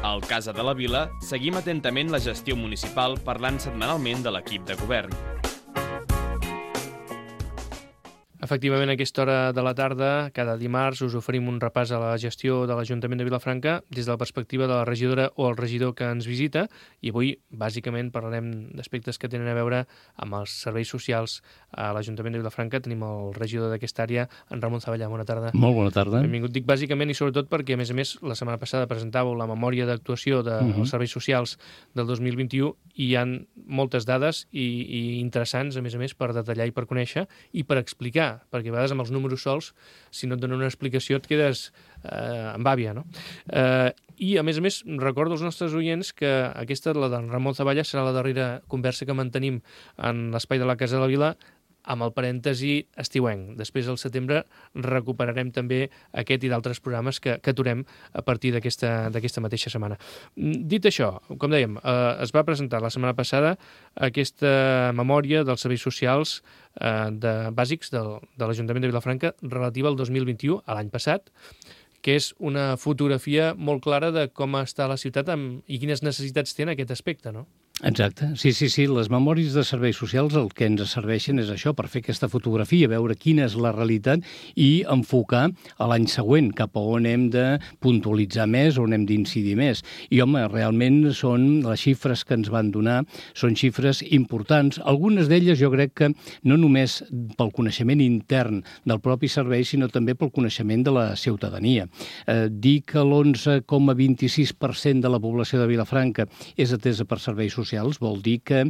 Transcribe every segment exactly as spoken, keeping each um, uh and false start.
Al Casa de la Vila seguim atentament la gestió municipal parlant setmanalment de l'equip de govern. Efectivament, a aquesta hora de la tarda, cada dimarts, us oferim un repàs a la gestió de l'Ajuntament de Vilafranca des de la perspectiva de la regidora o el regidor que ens visita, i avui, bàsicament, parlarem d'aspectes que tenen a veure amb els serveis socials a l'Ajuntament de Vilafranca. Tenim el regidor d'aquesta àrea, en Ramon Zavallà. Bona tarda. Molt bona tarda. Benvingut. Dic bàsicament i sobretot perquè, a més a més, la setmana passada presentàveu la memòria d'actuació dels de uh-huh. serveis socials del dos mil vint-i-u i hi ha moltes dades i, i interessants, a més a més, per detallar i per conèixer i per explicar, perquè a vegades amb els números sols, si no et donen una explicació, et quedes eh, amb àvia, no? Eh, I, a més a més, recordo als nostres oients que aquesta, la d'en Ramon Zavallà, serà la darrera conversa que mantenim en l'espai de la Casa de la Vila, amb el parèntesi estiuenc. Després, al setembre, recuperarem també aquest i d'altres programes que, que aturem a partir d'aquesta d'aquesta mateixa setmana. Dit això, com dèiem, eh, es va presentar la setmana passada aquesta memòria dels serveis socials eh, de, bàsics del, de l'Ajuntament de Vilafranca relativa al dos mil vint-i-u, a l'any passat, que és una fotografia molt clara de com està la ciutat amb, i quines necessitats té en aquest aspecte, no? Exacte. Sí, sí, sí. Les memòries de serveis socials el que ens serveixen és això, per fer aquesta fotografia, veure quina és la realitat i enfocar a l'any següent, cap a on hem de puntualitzar més, on hem d'incidir més. I, home, realment són les xifres que ens van donar, són xifres importants. Algunes d'elles jo crec que no només pel coneixement intern del propi servei, sinó també pel coneixement de la ciutadania. Eh, dir que l'onze coma vint-i-sis per cent de la població de Vilafranca és atesa per serveis socials socials vol dir que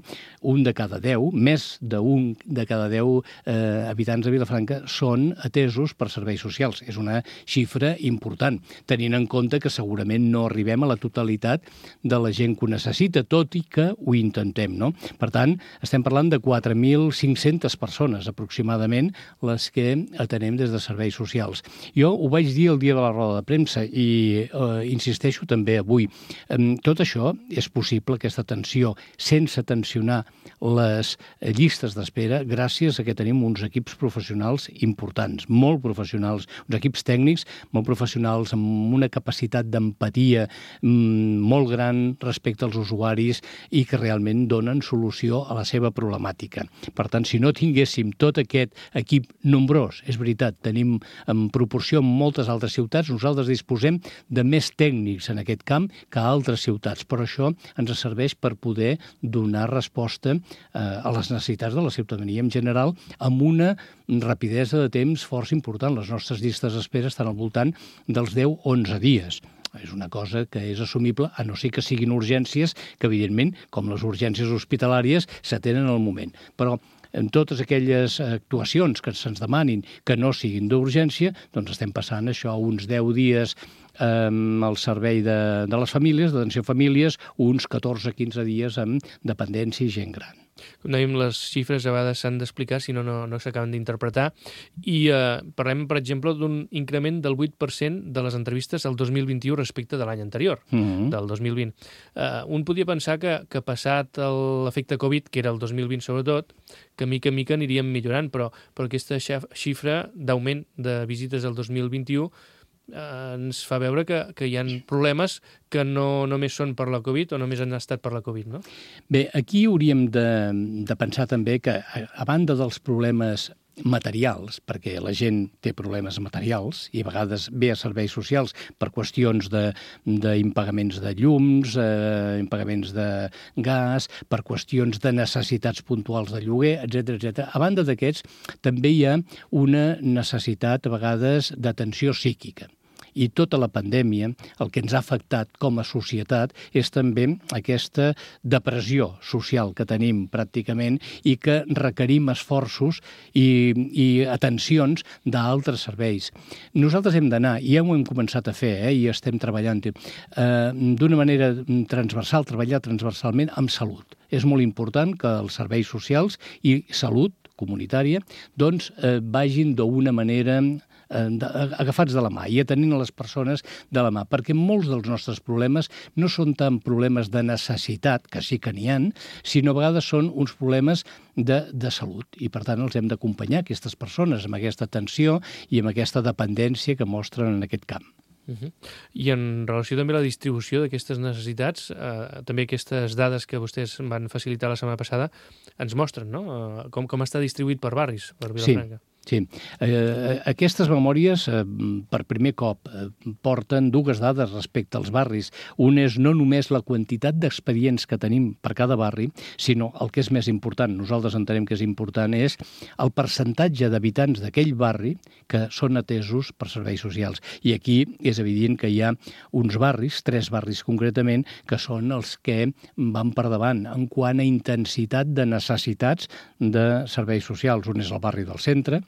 un de cada deu, més d'un de cada deu eh, habitants de Vilafranca són atesos per serveis socials. És una xifra important, tenint en compte que segurament no arribem a la totalitat de la gent que ho necessita, tot i que ho intentem, no? Per tant, estem parlant de quatre mil cinc-centes persones aproximadament les que atenem des de serveis socials. Jo ho vaig dir el dia de la roda de premsa i eh, insisteixo també avui. Eh, tot això és possible, aquesta atenció, sense tensionar les llistes d'espera, gràcies a que tenim uns equips professionals importants, molt professionals, uns equips tècnics molt professionals, amb una capacitat d'empatia mmm, molt gran respecte als usuaris i que realment donen solució a la seva problemàtica. Per tant, si no tinguéssim tot aquest equip nombrós, és veritat, tenim en proporció en moltes altres ciutats, nosaltres disposem de més tècnics en aquest camp que a altres ciutats, però això ens serveix per poder donar resposta eh, a les necessitats de la ciutadania en general amb una rapidesa de temps força important. Les nostres llistes d'espera estan al voltant dels deu a onze dies. És una cosa que és assumible, a no ser que siguin urgències, que evidentment, com les urgències hospitalàries, s'atenen al moment. Però en totes aquelles actuacions que se'ns demanin que no siguin d'urgència, doncs estem passant això a uns deu dies amb el servei de, de les famílies, d'atenció a famílies, uns catorze a quinze dies amb dependència i gent gran. Com dèiem, les xifres a vegades s'han d'explicar, si no, no, no s'acaben d'interpretar. I eh, parlem, per exemple, d'un increment del vuit per cent de les entrevistes al dos mil vint-i-u respecte de l'any anterior, mm-hmm. del dos mil vint. Eh, un podia pensar que, que passat l'efecte Covid, que era el dos mil vint sobretot, que mica en mica aniríem millorant, però, però aquesta xifra d'augment de visites al dos mil vint-i-u Eh, ens fa veure que, que hi ha problemes que no només són per la Covid o només han estat per la Covid, no? Bé, aquí hauríem de, de pensar també que, a, a banda dels problemes materials, perquè la gent té problemes materials i a vegades ve a serveis socials per qüestions d'impagaments de, de llums, eh, impagaments de gas, per qüestions de necessitats puntuals de lloguer, etcètera, etcètera. A banda d'aquests, també hi ha una necessitat, a vegades, d'atenció psíquica. I tota la pandèmia, el que ens ha afectat com a societat és també aquesta depressió social que tenim pràcticament i que requerim esforços i, i atencions d'altres serveis. Nosaltres hem d'anar, i ja ho hem començat a fer, eh, i estem treballant eh, d'una manera transversal, treballar transversalment amb salut. És molt important que els serveis socials i salut comunitària doncs, eh, vagin d'una manera agafats de la mà i atenint a les persones de la mà, perquè molts dels nostres problemes no són tant problemes de necessitat, que sí que n'hi ha, sinó a vegades són uns problemes de, de salut i per tant els hem d'acompanyar aquestes persones amb aquesta atenció i amb aquesta dependència que mostren en aquest camp. Uh-huh. I en relació també a la distribució d'aquestes necessitats, eh, també aquestes dades que vostès van facilitar la setmana passada ens mostren, no? Eh, com, com està distribuït per barris, per Vilafranca. Sí. Sí, eh, aquestes memòries eh, per primer cop eh, porten dues dades respecte als barris. Un és no només la quantitat d'expedients que tenim per cada barri, sinó el que és més important, nosaltres entenem que és important, és el percentatge d'habitants d'aquell barri que són atesos per serveis socials. I aquí és evident que hi ha uns barris, tres barris concretament, que són els que van per davant en quant a intensitat de necessitats de serveis socials. Un és el barri del centre,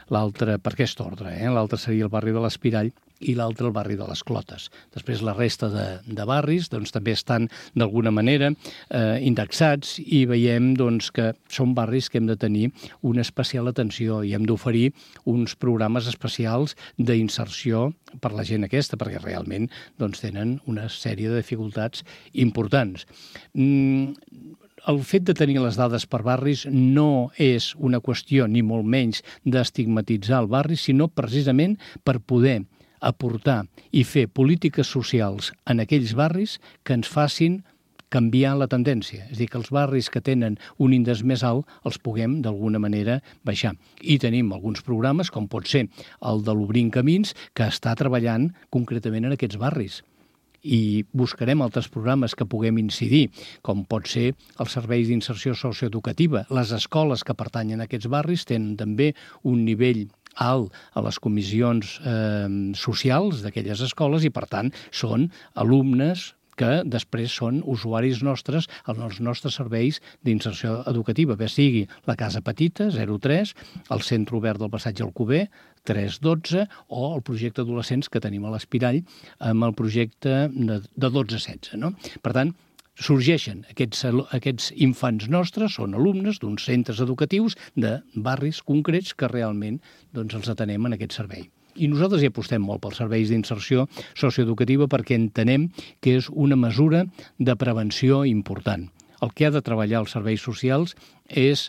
l'altre, per aquest ordre, eh? l'altre seria el barri de l'Espirall i l'altre el barri de les Clotes. Després la resta de, de barris doncs, també estan d'alguna manera eh, indexats i veiem doncs, que són barris que hem de tenir una especial atenció i hem d'oferir uns programes especials d'inserció per la gent aquesta, perquè realment doncs, tenen una sèrie de dificultats importants. Mm, El fet de tenir les dades per barris no és una qüestió, ni molt menys, d'estigmatitzar el barri, sinó precisament per poder aportar i fer polítiques socials en aquells barris que ens facin canviar la tendència. És a dir, que els barris que tenen un índex més alt els puguem, d'alguna manera, baixar. I tenim alguns programes, com pot ser el de l'Obrint Camins, que està treballant concretament en aquests barris. I buscarem altres programes que puguem incidir, com pot ser els serveis d'inserció socioeducativa. Les escoles que pertanyen a aquests barris tenen també un nivell alt a les comissions eh, socials d'aquelles escoles i, per tant, són alumnes que després són usuaris nostres als nostres serveis d'inserció educativa, bé sigui la Casa Petita, zero tres, el Centre Obert del Passatge Alcover, tres dotze, o el projecte adolescents que tenim a l'Espirall amb el projecte de, de dotze setze. No? Per tant, sorgeixen aquests, aquests infants nostres, són alumnes d'uns centres educatius de barris concrets que realment doncs, els atenem en aquest servei. I nosaltres hi apostem molt pels serveis d'inserció socioeducativa perquè entenem que és una mesura de prevenció important. El que ha de treballar els serveis socials és,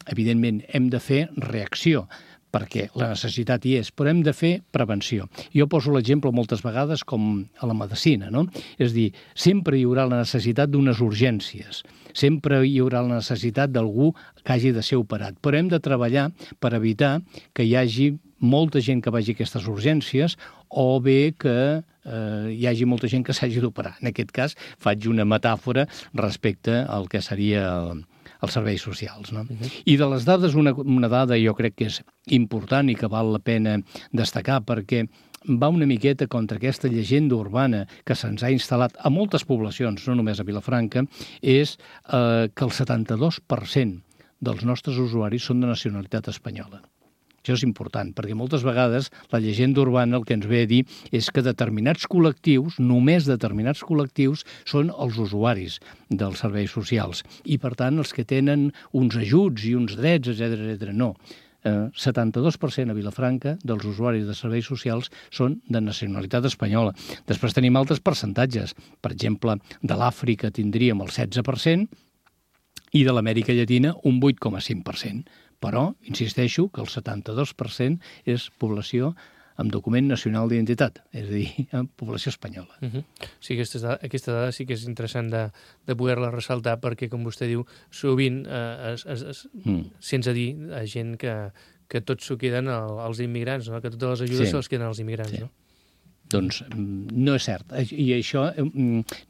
evidentment, hem de fer reacció, perquè la necessitat hi és, però hem de fer prevenció. Jo poso l'exemple moltes vegades com a la medicina, no? És a dir, sempre hi haurà la necessitat d'unes urgències, sempre hi haurà la necessitat d'algú que hagi de ser operat, però hem de treballar per evitar que hi hagi molta gent que vagi a aquestes urgències o bé que eh, hi hagi molta gent que s'hagi d'operar. En aquest cas, faig una metàfora respecte al que seria el, els serveis socials. No? Uh-huh. I de les dades, una, una dada jo crec que és important i que val la pena destacar perquè va una miqueta contra aquesta llegenda urbana que se'ns ha instal·lat a moltes poblacions, no només a Vilafranca, és eh, que el setanta-dos per cent dels nostres usuaris són de nacionalitat espanyola. Això és important, perquè moltes vegades la llegenda urbana el que ens ve a dir és que determinats col·lectius, només determinats col·lectius, són els usuaris dels serveis socials. I, per tant, els que tenen uns ajuts i uns drets, etcètera, etcètera. No. Eh, setanta-dos per cent a Vilafranca dels usuaris de serveis socials són de nacionalitat espanyola. Després tenim altres percentatges. Per exemple, de l'Àfrica tindríem el setze per cent i de l'Amèrica Llatina un vuit coma cinc per cent. Però, insisteixo, que el setanta-dos per cent és població amb document nacional d'identitat, és a dir, població espanyola. Uh-huh. Sí, aquesta dada, aquesta dada sí que és interessant de, de poder-la ressaltar perquè, com vostè diu, sovint eh, es, es, es, mm. sense dir a gent que, que tots s'ho queden als immigrants, no? Que totes les ajudes sí. se'ls queden als immigrants. Sí. No? Doncs no és cert. I això,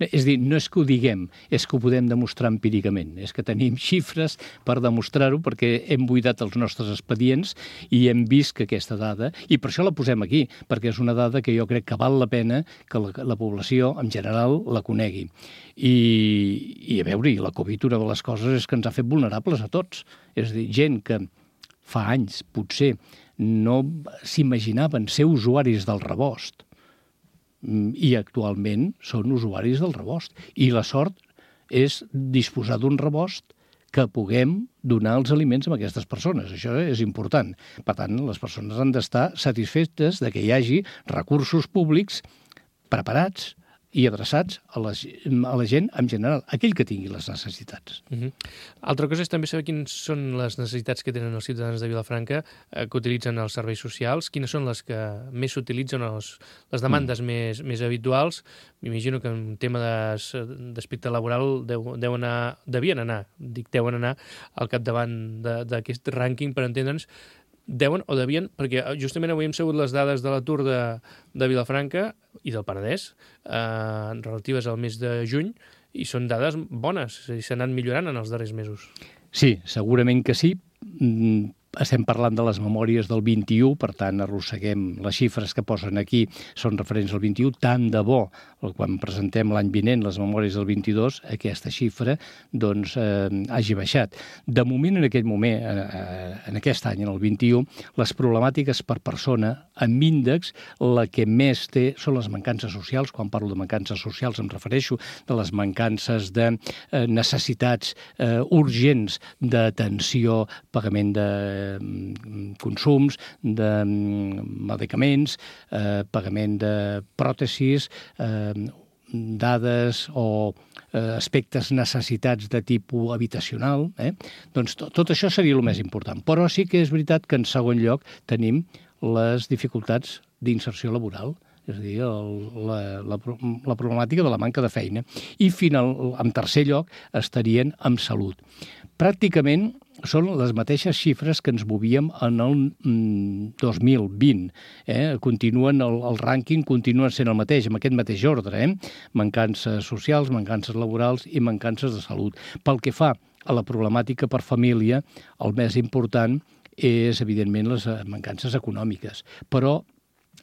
és dir, no és que ho diguem, és que ho podem demostrar empíricament. És que tenim xifres per demostrar-ho perquè hem buidat els nostres expedients i hem vist que aquesta dada, i per això la posem aquí, perquè és una dada que jo crec que val la pena que la, la població en general la conegui. I, i a veure, la Covid, una de les coses és que ens ha fet vulnerables a tots. És a dir, gent que fa anys, potser, no s'imaginaven ser usuaris del rebost, i actualment són usuaris del rebost. I la sort és disposar d'un rebost que puguem donar els aliments a aquestes persones. Això és important. Per tant, les persones han d'estar satisfetes de que hi hagi recursos públics preparats i adreçats a la, a la gent en general, aquell que tingui les necessitats. Uh-huh. Altra cosa és també saber quines són les necessitats que tenen els ciutadans de Vilafranca eh, que utilitzen els serveis socials, quines són les que més s'utilitzen, les, les demandes mm. més, més habituals. M'imagino que en tema d'aspecte laboral deu, deu anar, devien anar, dic deuen anar al capdavant d'aquest rànquing, per entendre'ns, deuen o devien, perquè justament avui hem sabut les dades de l'atur de, de Vilafranca i del Penedès eh, relatives al mes de juny, i són dades bones, és a dir, s'han anat millorant en els darrers mesos. Sí, segurament que sí. Estem parlant de les memòries del vint-i-u, per tant, arrosseguem les xifres que posen aquí, són referents al vint-i-u. Tant de bo, quan presentem l'any vinent les memòries del vint-i-dos, aquesta xifra doncs, eh, hagi baixat. De moment, en aquest moment, eh, en aquest any, en el vint-i-u, les problemàtiques per persona, amb índex, la que més té són les mancances socials. Quan parlo de mancances socials em refereixo de les mancances de eh, necessitats eh, urgents d'atenció, pagament de consums, de medicaments, eh, pagament de pròtesis, eh, dades o eh, aspectes, necessitats de tipus habitacional. Eh? Doncs to, tot això seria el més important. Però sí que és veritat que en segon lloc tenim les dificultats d'inserció laboral, és a dir, el, la, la, la problemàtica de la manca de feina. I final, en tercer lloc estarien amb salut. Pràcticament són les mateixes xifres que ens movíem en el mm, dos mil vint. Eh? Continuen, el, el rànquing continua sent el mateix, amb aquest mateix ordre. Eh? Mancances socials, mancances laborals i mancances de salut. Pel que fa a la problemàtica per família, el més important és, evidentment, les mancances econòmiques. Però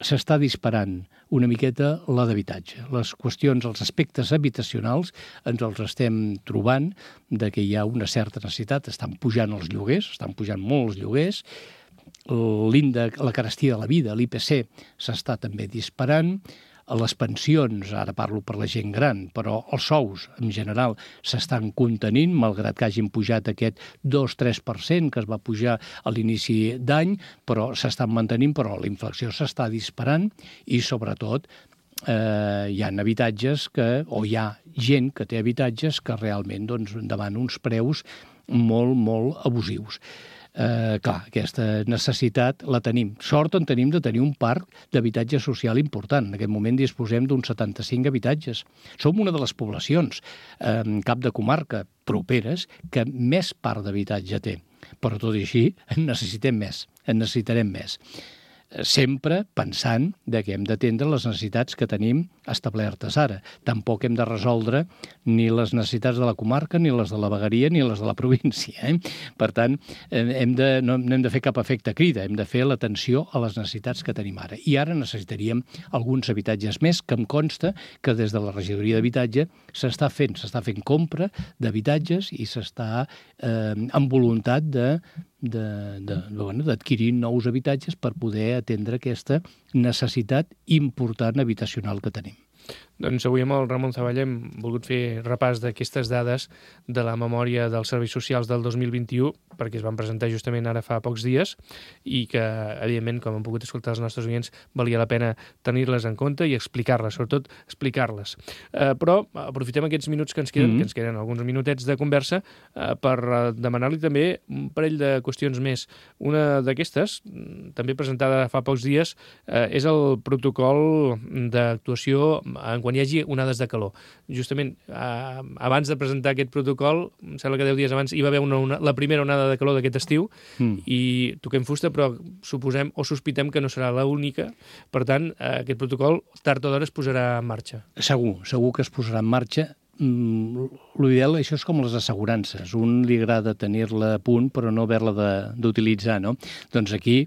s'està disparant una miqueta la d'habitatge. Les qüestions, els aspectes habitacionals ens els estem trobant de que hi ha una certa necessitat. Estan pujant els lloguers, estan pujant molt els lloguers. L'índex, la carestia de la vida, l'I P C, s'està també disparant. Les pensions, ara parlo per la gent gran, però els sous en general s'estan contenint, malgrat que hagin pujat aquest dos a tres per cent que es va pujar a l'inici d'any, però s'estan mantenint, però la inflació s'està disparant i, sobretot, eh, hi ha habitatges que, o hi ha gent que té habitatges que realment doncs, demana uns preus molt, molt abusius. Eh, clar, aquesta necessitat la tenim. Sort en tenim de tenir un parc d'habitatge social important. En aquest moment disposem d'uns setanta-cinc habitatges. Som una de les poblacions, eh, cap de comarca, properes, que més parc d'habitatge té. Però tot i així en necessitem més, en necessitarem més. Sempre pensant de que hem d'atendre les necessitats que tenim establertes ara. Tampoc hem de resoldre ni les necessitats de la comarca, ni les de la vegueria, ni les de la província. Eh? Per tant, hem de, no, no hem de fer cap efecte crida, hem de fer l'atenció a les necessitats que tenim ara. I ara necessitaríem alguns habitatges més, que em consta que des de la regidoria d'habitatge s'està fent, s'està fent compra d'habitatges i s'està eh, amb voluntat de de, de, de, bueno, d'adquirir nous habitatges per poder atendre aquesta necessitat important habitacional que tenim. Doncs avui amb el Ramon Zavalla hem volgut fer repàs d'aquestes dades de la memòria dels serveis socials del dos mil vint-i-u, perquè es van presentar justament ara fa pocs dies i que, evidentment, com han pogut escoltar els nostres oients, valia la pena tenir-les en compte i explicar-les, sobretot explicar-les. Eh, però aprofitem aquests minuts que ens queden, mm-hmm. que ens queden alguns minutets de conversa, eh, per demanar-li també un parell de qüestions més. Una d'aquestes, també presentada fa pocs dies, eh, és el protocol d'actuació en quan hi hagi onades de calor. Justament, eh, abans de presentar aquest protocol, em sembla que deu dies abans hi va haver una, una, la primera onada de calor d'aquest estiu mm. i toquem fusta, però suposem o sospitem que no serà l'única. Per tant, eh, aquest protocol tard o d'hora es posarà en marxa. Segur, segur que es posarà en marxa. Mm, l'ideal, això és com les assegurances. Un li agrada tenir-la a punt, però no haver-la d'utilitzar, no? Doncs aquí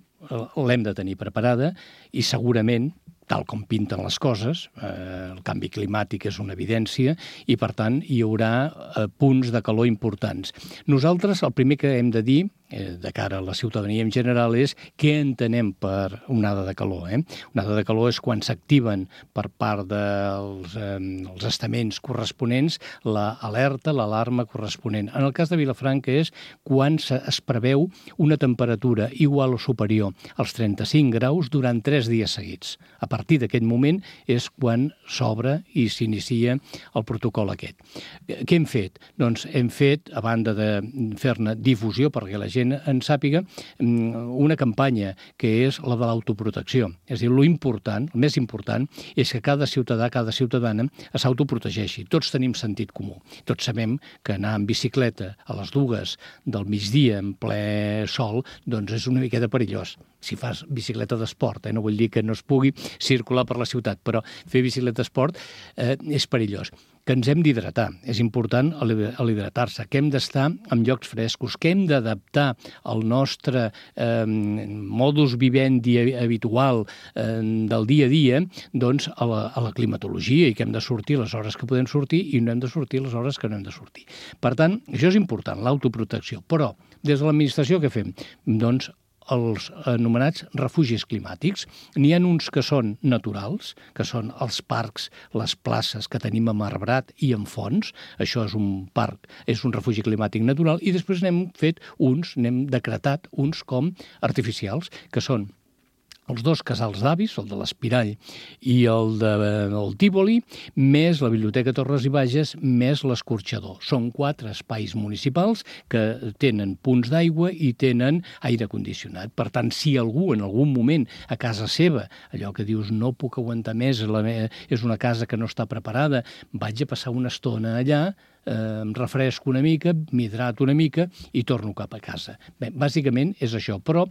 l'hem de tenir preparada i segurament, tal com pinten les coses, eh, el canvi climàtic és una evidència i, per tant, hi haurà eh, punts de calor importants. Nosaltres, el primer que hem de dir, de cara a la ciutadania en general és què entenem per onada de calor. Eh? Onada de calor és quan s'activen per part dels eh, els estaments corresponents l'alerta, l'alarma corresponent. En el cas de Vilafranca és quan es preveu una temperatura igual o superior als trenta-cinc graus durant tres dies seguits. A partir d'aquest moment és quan s'obre i s'inicia el protocol aquest. Què hem fet? Doncs hem fet, a banda de fer-ne difusió perquè la gent en sàpiga, una campanya que és la de l'autoprotecció. És a dir, lo important, el més important, és que cada ciutadà, cada ciutadana s'autoprotegeixi. Tots tenim sentit comú. Tots sabem que anar en bicicleta a les dues del migdia en ple sol, doncs és una miqueta perillós. Si fas bicicleta d'esport, eh? No vull dir que no es pugui circular per la ciutat, però fer bicicleta d'esport eh, és perillós. Que ens hem d'hidratar. És important l'hidratar-se, que hem d'estar en llocs frescos, que hem d'adaptar el nostre eh, modus vivendi habitual eh, del dia a dia doncs, a, la, a la climatologia i que hem de sortir les hores que podem sortir i no hem de sortir les hores que no hem de sortir. Per tant, això és important, l'autoprotecció. Però, des de l'administració, què fem? Doncs els anomenats refugis climàtics. N'hi ha uns que són naturals, que són els parcs, les places que tenim a Marbrat i en Fons. Això és un parc, és un refugi climàtic natural, i després n'hem fet uns, n'hem decretat uns com artificials, que són els dos casals d'avis, el de l'Espirall i el de el Tívoli, més la Biblioteca Torres i Bages, més l'Escorxador. Són quatre espais municipals que tenen punts d'aigua i tenen aire condicionat. Per tant, si algú en algun moment a casa seva, allò que dius no puc aguantar més, la me... és una casa que no està preparada, vaig a passar una estona allà, eh, em refresco una mica, m'hidrato una mica i torno cap a casa. Bé, bàsicament és això, però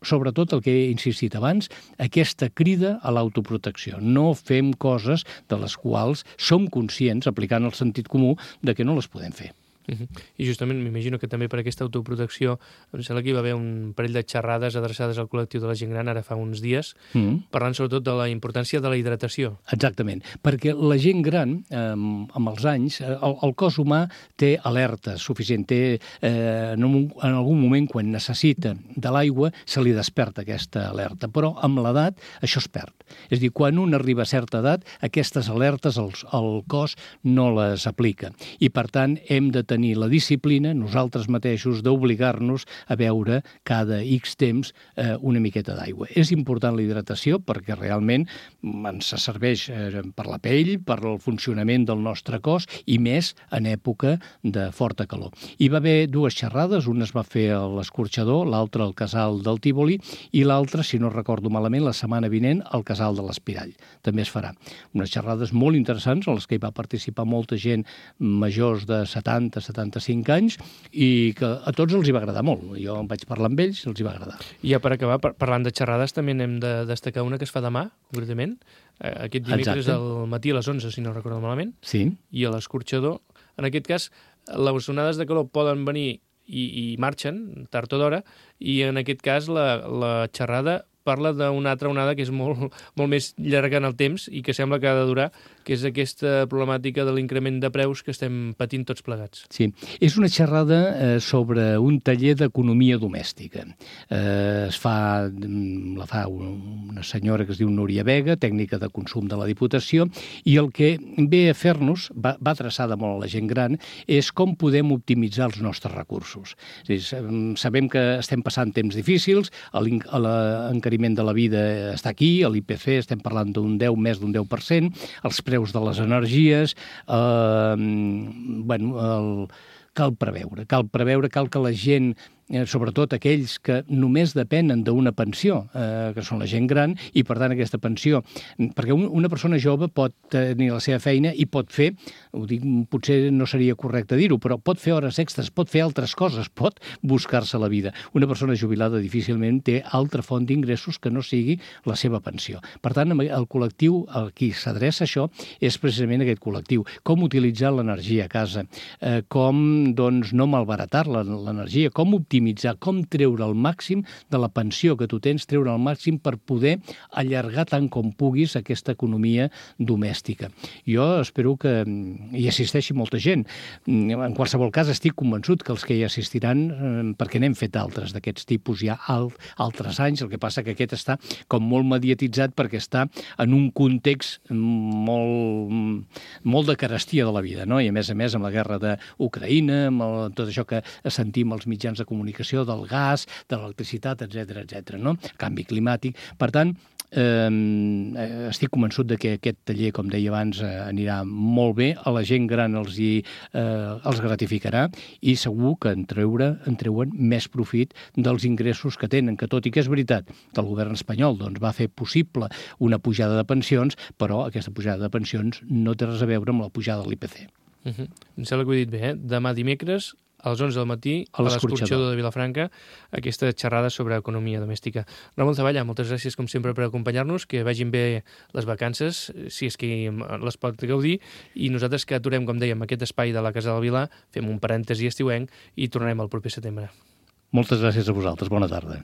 sobretot el que he insistit abans, aquesta crida a l'autoprotecció. No fem coses de les quals som conscients, aplicant el sentit comú, de que no les podem fer. Uh-huh. I justament m'imagino que també per aquesta autoprotecció em sembla que hi va haver un parell de xerrades adreçades al col·lectiu de la gent gran ara fa uns dies, mm. parlant sobretot de la importància de la hidratació. Exactament, perquè la gent gran, eh, amb els anys, el, el cos humà té alerta suficient, té, eh, en, un, en algun moment quan necessita de l'aigua se li desperta aquesta alerta, però amb l'edat això es perd. És a dir, quan un arriba a certa edat, aquestes alertes el, el cos no les aplica i per tant hem de tenir tenir la disciplina, nosaltres mateixos, d'obligar-nos a beure cada X temps eh, una miqueta d'aigua. És important la hidratació perquè realment ens serveix eh, per la pell, per el funcionament del nostre cos i més en època de forta calor. Hi va haver dues xerrades, una es va fer a l'Escorxador, l'altra al Casal del Tívoli i l'altra, si no recordo malament, la setmana vinent al Casal de l'Espirall. També es farà. Unes xerrades molt interessants en les que hi va participar molta gent majors de setanta, setanta-cinc anys i que a tots els hi va agradar molt. Jo em vaig parlar amb ells i els hi va agradar. I ja per acabar, par parlant de xerrades, també n'hem de destacar una que es fa demà, concretament. Aquest dimecres al matí a les onze, si no recordo malament. Sí. I a l'Escorxador. En aquest cas, les onades de calor poden venir i, i marxen, tard o d'hora, i en aquest cas la, la xerrada parla d'una altra onada que és molt, molt més llarga en el temps i que sembla que ha de durar, que és aquesta problemàtica de l'increment de preus que estem patint tots plegats. Sí, és una xerrada eh, sobre un taller d'economia domèstica. Eh, es fa, la fa una senyora que es diu Núria Vega, tècnica de consum de la Diputació, i el que ve a fer-nos, va, va adreçada molt a la gent gran, és com podem optimitzar els nostres recursos. És a dir, sabem que estem passant temps difícils, l'encariment de la vida està aquí, a l'I P C estem parlant d'un deu, més d'un deu per cent, els preus de les energies, eh, bueno, el, cal preveure, cal preveure, cal que la gent, eh, sobretot aquells que només depenen d'una pensió, eh, que són la gent gran, i per tant aquesta pensió, perquè un, una persona jove pot tenir la seva feina i pot fer, ho dic, potser no seria correcte dir-ho, però pot fer hores extres, pot fer altres coses, pot buscar-se la vida. Una persona jubilada difícilment té altra font d'ingressos que no sigui la seva pensió. Per tant, el col·lectiu al qui s'adreça això és precisament aquest col·lectiu. Com utilitzar l'energia a casa, eh, com doncs, no malbaratar l'energia, com optimitzar optimitzar, com treure el màxim de la pensió que tu tens, treure el màxim per poder allargar tant com puguis aquesta economia domèstica. Jo espero que hi assisteixi molta gent. En qualsevol cas, estic convençut que els que hi assistiran, perquè n'hem fet altres d'aquests tipus ja altres anys, el que passa que aquest està com molt mediatitzat perquè està en un context molt, molt de carestia de la vida, no? I a més a més amb la guerra d'Ucraïna, amb el, tot això que sentim als mitjans de comunicació, del gas, de l'electricitat, etcètera, etcètera, no? Canvi climàtic. Per tant, eh, estic convençut de que aquest taller, com deia abans, eh, anirà molt bé, a la gent gran els, hi, eh, els gratificarà i segur que en, treure, en treuen més profit dels ingressos que tenen, que tot i que és veritat que el govern espanyol doncs, va fer possible una pujada de pensions, però aquesta pujada de pensions no té res a veure amb la pujada de l'I P C. Uh -huh. Em sembla que ho he dit bé, eh? Demà dimecres, a les onze del matí, a l'Escorxador de Vilafranca, aquesta xerrada sobre economia domèstica. Ramon Zavalla, moltes gràcies, com sempre, per acompanyar-nos, que vagin bé les vacances, si és que les pot gaudir, i nosaltres que aturem, com dèiem, aquest espai de la Casa del Vilar, fem un parèntesi estiuenc i tornarem el proper setembre. Moltes gràcies a vosaltres. Bona tarda.